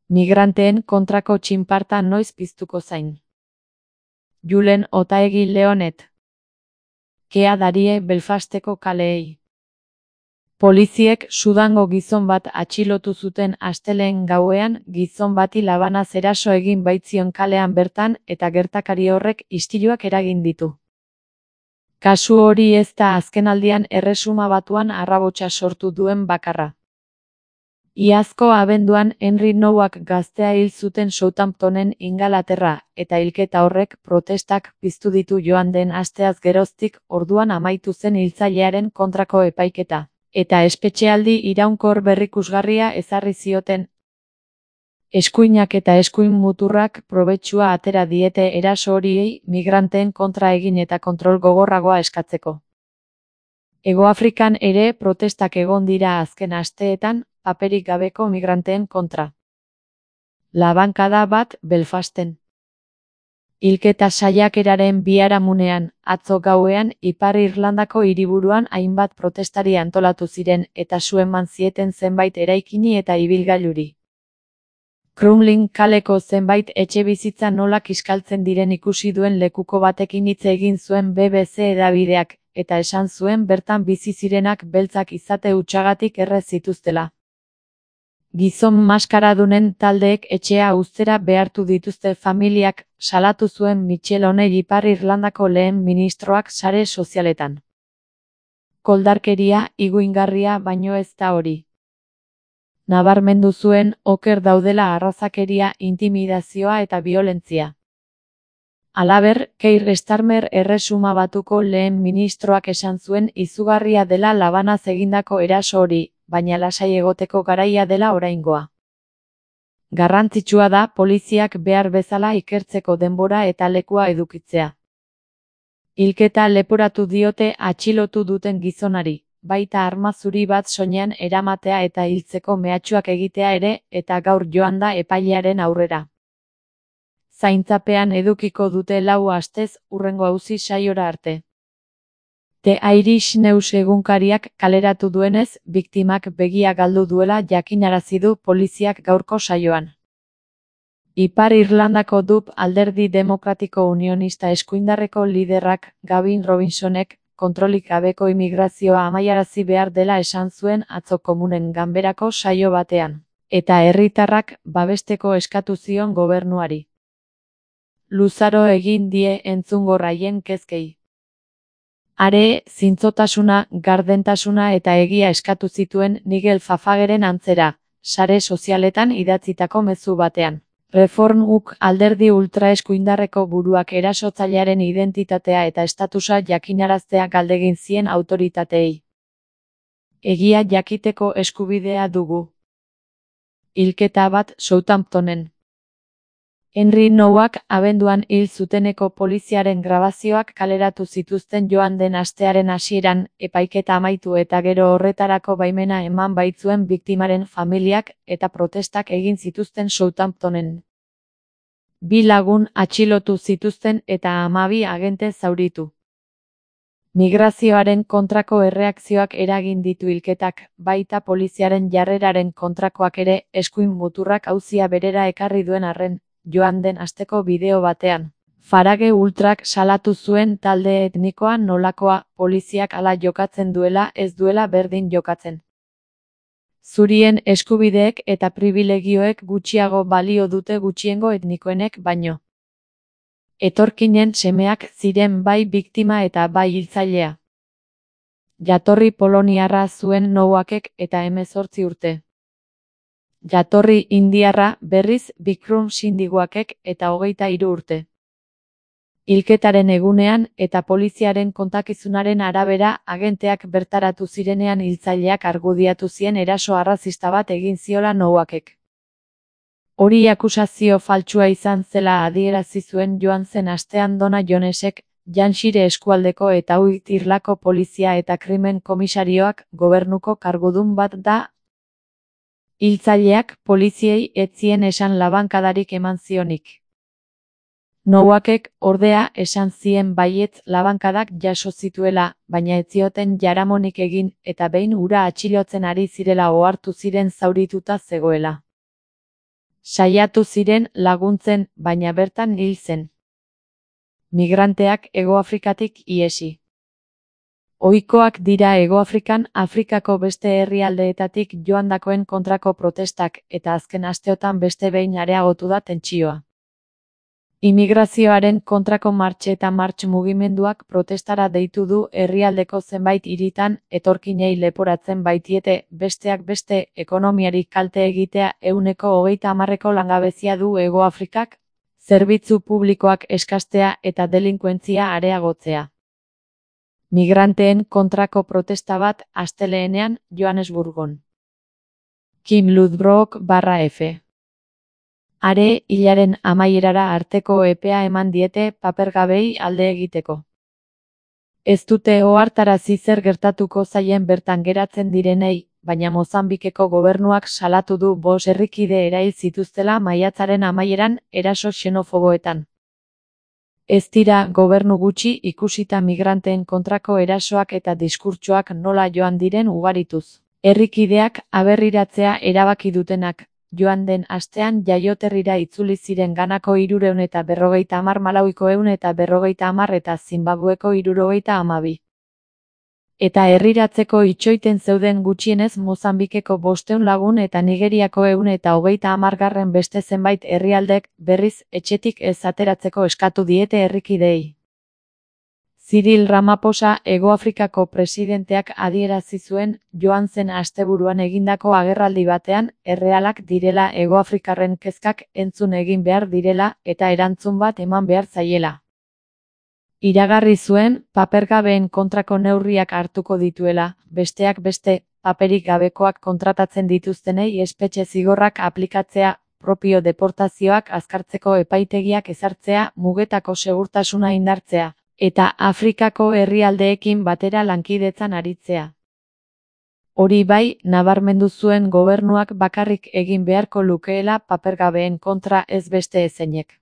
Migranteen kontrako txinparta noiz piztuko zain. Julen Otaegi Leonet. Kea darie Belfasteko kaleei. Poliziek Sudango gizon bat atxilotu zuten astelehen gauean gizon bati labanaz eraso egin baitzion kalean bertan eta gertakari horrek istiluak eragin ditu. Kasu hori ez da azkenaldian Erresuma Batuan arrabotsa sortu duen bakarra. Iazko abenduan Henry Nouak gaztea hil zuten Southamptonen Ingalaterra eta hilketa horrek protestak piztu ditu joan den asteaz geroztik orduan amaitu zen hiltzailearen kontrako epaiketa, eta espetxealdi iraunkor berrikusgarria ezarri zioten. Eskuinak eta eskuin muturrak probetxua atera diete eraso horiei migranteen kontra egin eta kontrol gogorragoa eskatzeko. Hegoafrikan ere protestak egon dira azken asteetan, paperik gabeko migranteen kontra. Labankada bat Belfasten. Hilketa saiakeraren biharamunean, atzo gauean Ipar Irlandako hiriburuan hainbat protestari antolatu ziren eta su eman zieten zenbait eraikini eta ibilgailuri. Crumlin kaleko zenbait etxebizitza nola kiskaltzen diren ikusi duen lekuko batekin hitz egin zuen BBC hedabideak, eta esan zuen bertan bizi zirenak beltzak izate hutsagatik erre zituztela. Gizon maskaradunen taldeek etxea uztera behartu dituzte familiak, salatu zuen Michel O'Neill Ipar Irlandako lehen ministroak sare sozialetan. Koldarkeria, higuingarria baino ez da hori. Nabarmendu zuen oker daudela arrazakeria, intimidazioa eta biolentzia. Halaber, Keir Starmer Erresuma Batuko lehen ministroak esan zuen izugarria dela labanaz egindako eraso hori, baina lasai egoteko garaia dela oraingoa. Garrantzitsua da poliziak behar bezala ikertzeko denbora eta lekua edukitzea. Hilketa leporatu diote atxilotu duten gizonari, baita arma zuri bat soinean eramatea eta hiltzeko mehatxuak egitea ere, eta gaur joan da epailearen aurrera. Zaintzapean edukiko dute 4 astez hurrengo auzi saiora arte. The Irish News egunkariak kaleratu duenez, biktimak begia galdu duela jakinarazi du poliziak gaurko saioan. Ipar Irlandako DUP Alderdi Demokratiko Unionista eskuindarreko liderrak Gavin Robinsonek kontrolik gabeko immigrazioa amaiarazi behar dela esan zuen atzo komunen ganberako saio batean, eta herritarrak babesteko eskatu zion gobernuari. Luzaro egin die entzungorraien kezkei. Are, zintzotasuna, gardentasuna eta egia eskatu zituen Nigel Fafageren antzera, sare sozialetan idatzitako mezu batean. Reform UK alderdi ultraeskuindarreko buruak erasotzailearen identitatea eta estatusa jakinaraztea galdegin zien autoritateei. Egia jakiteko eskubidea dugu. Hilketa bat Southamptonen. Henry Nouak abenduan hil zuteneko poliziaren grabazioak kaleratu zituzten joan den astearen hasieran, epaiketa amaitu eta gero horretarako baimena eman baitzuen biktimaren familiak eta protestak egin zituzten Southamptonen. 2 lagun atxilotu zituzten eta 12 agente zauritu. Migrazioaren kontrako erreakzioak eragin ditu hilketak, baita poliziaren jarreraren kontrakoak ere, eskuin muturrak auzia berera ekarri duen arren, joan den asteko bideo batean. Farage Ultrak salatu zuen talde etnikoa nolakoa, poliziak hala jokatzen duela ez duela berdin jokatzen. Zurien eskubideek eta pribilegioek gutxiago balio dute gutxiengo etnikoenek baino. Etorkinen semeak ziren bai biktima eta bai hiltzailea. Jatorri poloniarra zuen Nouakek eta 18 urte. Jatorri indiarra berriz Bikram Sindiguakek eta 23 urte. Hilketaren egunean eta poliziaren kontakizunaren arabera agenteak bertaratu zirenean hiltzaileak argudiatu zien eraso arrazista bat egin ziola Nouakek. Hori akusazio faltsua izan zela adierazi zuen joan zen astean Donna Jonesek, Janshire eskualdeko eta Uit Irlako polizia eta krimen komisarioak gobernuko kargudun bat da. Hiltzaileak poliziei ez zien esan labankadarik eman zionik. Nouakek, ordea, esan zien baietz labankadak jaso zituela, baina ez zioten jaramonik egin eta behin hura atxilotzen ari zirela ohartu ziren zaurituta zegoela. Saiatu ziren laguntzen, baina bertan hil zen. Migranteak Hegoafrikatik ihesi. Ohikoak dira Hegoafrikan Afrikako beste herrialdeetatik joandakoen kontrako protestak eta azken asteotan beste behin areagotu da tentsioa. Immigrazioaren kontrako martx eta martx mugimenduak protestara deitu du herrialdeko zenbait hiritan etorkinei leporatzen baitiete besteak beste ekonomiari kalte egitea 30% langabezia du Hegoafrikak, zerbitzu publikoak eskastea eta delinkuentzia areagotzea. Migranteen kontrako protesta bat astelehenean Johannesburgon. Kim Lodbrok /F. Are hilaren amaierara arteko epea eman diete papergabei alde egiteko. Ez dute ohartarazi zer gertatuko zaien bertan geratzen direnei, baina Mozambikeko gobernuak salatu du 5 herrikide erail zituztela maiatzaren amaieran eraso xenofoboetan. Ez dira gobernu gutxi ikusita migranteen kontrako erasoak eta diskurtsoak nola joan diren ugarituz. Herrikideak aberriratzea erabaki dutenak, joan den astean jaioterrira itzuli ziren Ganako 350, Malawiko 150 eta Zimbabweko 72. Eta herriratzeko itxoiten zeuden gutxienez Mozambikeko 500 lagun eta Nigeriako 130 beste zenbait herrialdek berriz etxetik ez ateratzeko eskatu diete herrikideei. Cyril Ramaphosa Hegoafrikako presidenteak adierazi zuen joan zen asteburuan egindako agerraldi batean errealak direla Hegoafrikarren kezkak entzun egin behar direla eta erantzun bat eman behar zaiela. Iragarri zuen papergabeen kontrako neurriak hartuko dituela, besteak beste, paperik gabekoak kontratatzen dituztenei espetxe zigorrak aplikatzea, propio deportazioak azkartzeko epaitegiak ezartzea, mugetako segurtasuna indartzea, eta Afrikako herrialdeekin batera lankidetzan aritzea. Hori bai, nabarmendu zuen gobernuak bakarrik egin beharko lukeela papergabeen kontra ez beste ezeinek.